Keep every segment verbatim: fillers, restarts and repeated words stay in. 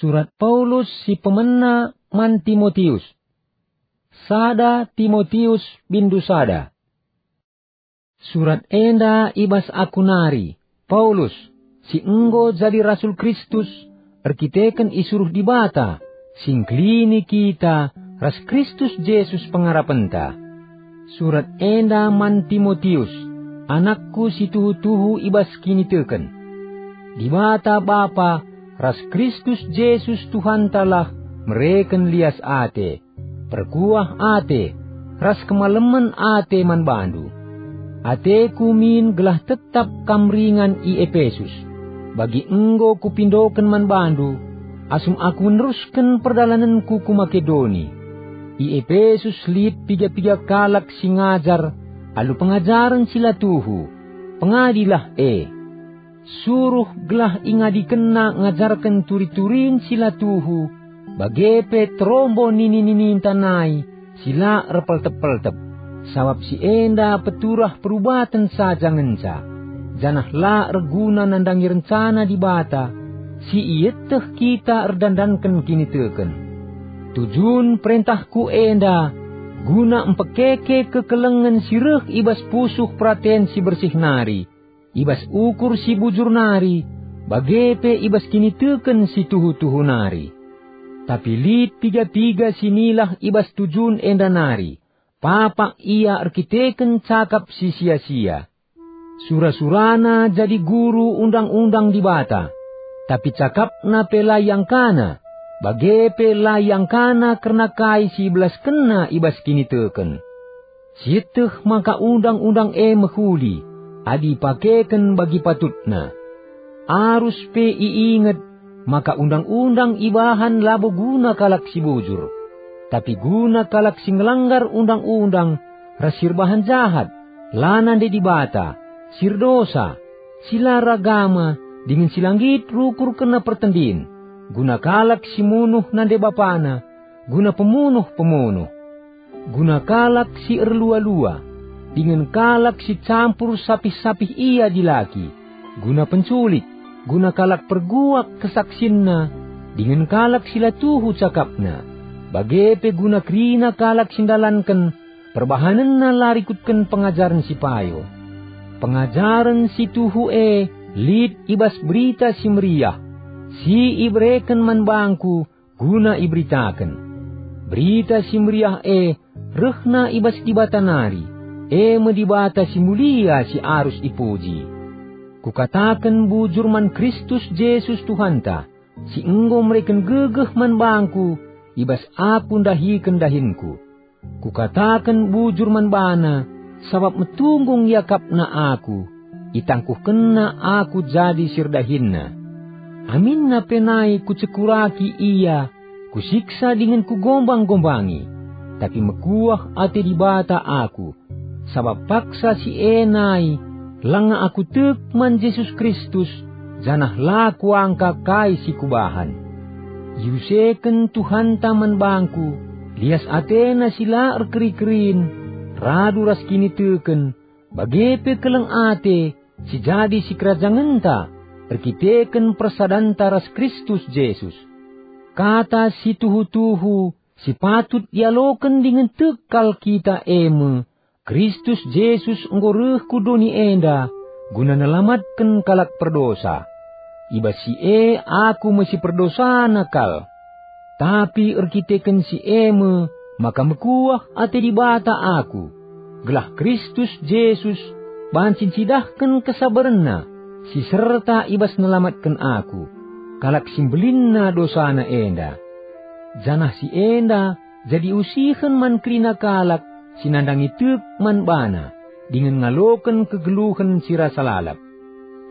Surat Paulus si pemena man Timotius. Sada Timotius bindu sada. Surat enda i bas aku nari, Paulus, si enggo jadi rasul Kristus erkiteken isuruh Dibata, si ngkelini kita ras Kristus Jesus pengarapenta. Surat enda man Timotius, anakku si tuhu-tuhu i bas kiniteken. Dibata Bapa ras Kristus Jesus Tuhantalah mereken lias ate, perkuah ate, ras kemalemen ate man bandu. Ateku min gelah tetap kam ringan i Epesus, bagi enggo kupindoken man bandu, asum aku nerusken perdalanenku ku Makedoni. I Epesus lit piga-piga kalak si ngajar alu pengajaren si la tuhu. Pengadilah e. Suruh gelah ingadikenna ngajarken turi-turin si la tuhu, bage pe terombo nini-nininta nai si la erpeltep-peltep, sabap si enda peturah perubaten saja ngenca, janah la erguna nandangi rencana Dibata si ieteh kita erdandanken kiniteken. Tujun perentahku enda guna mpekeke kekelengen si reh i bas pusuh peraten si bersih nari, i bas ukur si bujur nari, bage pe i bas kiniteken si tuhu-tuhu nari. Tapi lit piga-piga si nilah i bas tujun enda nari, papak ia erkiteken cakap si sia-sia. Sura-surana jadi guru undang-undang Dibata, tapi cakapna pe la iangkana, bage pe la iangkana kerna kai si ibelaskenna i bas kiniteken. Sieteh maka undang-undang e mehuli, adi ipakeken bagi patutna. Arus pe iinget maka undang-undang ibahan labo guna kalak si bujur, tapi guna kalak si ngelanggar undang-undang ras si erbahan jahat, la nande Dibata, si erdosa, si la ragama, dingen si la nggit rukur kerna pertendin, guna kalak si munuh nande bapana, guna pemunuh-pemunuh, guna kalak si erlua-lua, dingen kalak si campur sapih-sapih ia dilaki, guna penculik, guna kalak perguak kesaksinna, dingen kalak si la tuhu cakapna, bage pe guna kerina kalak si ndalanken perbahanenna la rikutken pengajaren si payo. Pengajaren si tuhu e lit i bas Berita Si Meriah, si ibereken man bangku guna iberitaken. Berita Si Meriah e rehna i bas Dibata nari, e me Dibata si mulia si arus ipuji. Kukataken bujur man Kristus Jesus Tuhanta, si enggo mereken gegeh man bangku i bas aku ndahiken dahinku. Kukataken bujur man bana, sabap metunggung iakapna aku, itangkuhkenna aku jadi si erdahinna. Aminna pe nai kucekuraki ia, kusiksa dingen kugombang-gombangi, tapi mekuah ate Dibata aku, sabap paksa si e nai langa aku tek man Jesus Kristus, janah la kuangka kai si kubahan. Iuseken Tuhanta man bangku lias atena si la erkeri-kerin, radu ras kiniteken, bage pe keleng ate si jadi sikerajangenta erkiteken persadanta ras Kristus Jesus. Kata si tuhu-tuhu si patut ialoken dingen tek kal kita e me, Kristus Jesus enggo reh ku doni enda guna nelamatken kalak perdosa. I bas si e aku me si perdosana kal. Tapi erkiteken si e me maka mekuah ate Dibata aku, gelah Kristus Jesus banci ncidahken kesaberenNa si serta i bas nelamatken aku, kalak si mbelinna dosana enda. Janah si enda jadi usihen man kerina kalak si nandangi tek man bana, dingen ngaloken kegeluhen si rasa lalap.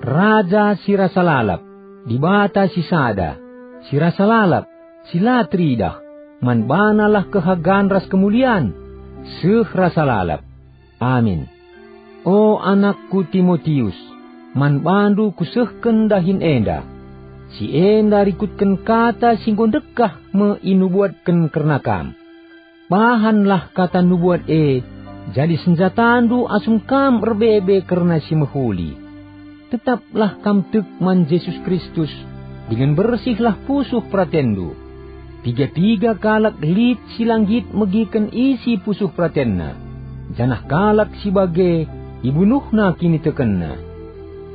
Raja si rasa lalap, Dibata si sada, si rasa lalap, si la teridah, man banalah kehagan ras kemulian, seh rasa lalap. Amin. O anakku Timotius, man bandu kusehken dahin enda. Si enda rikutken kata si enggo ndekah me inubuatken kerna kam. Bahanlah kata nubuat e jadi senjatandu asum kam erbebe kerna si mehuli. Tetaplah kam tek man Jesus Kristus, dingen bersihlah pusuh peratenndu. Piga-piga kalak lit si la nggit megiken isi pusuh peratenna, janah kalak si bage ibunuhna kinitekenna.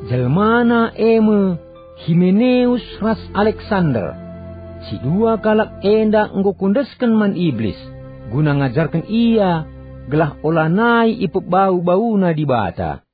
Jelmana e me Himeneus ras Aleksander. Si dua kalak enda enggo kuendesken man Iblis, guna ngajarken ia gelah olanai ipebau-bauna Dibata.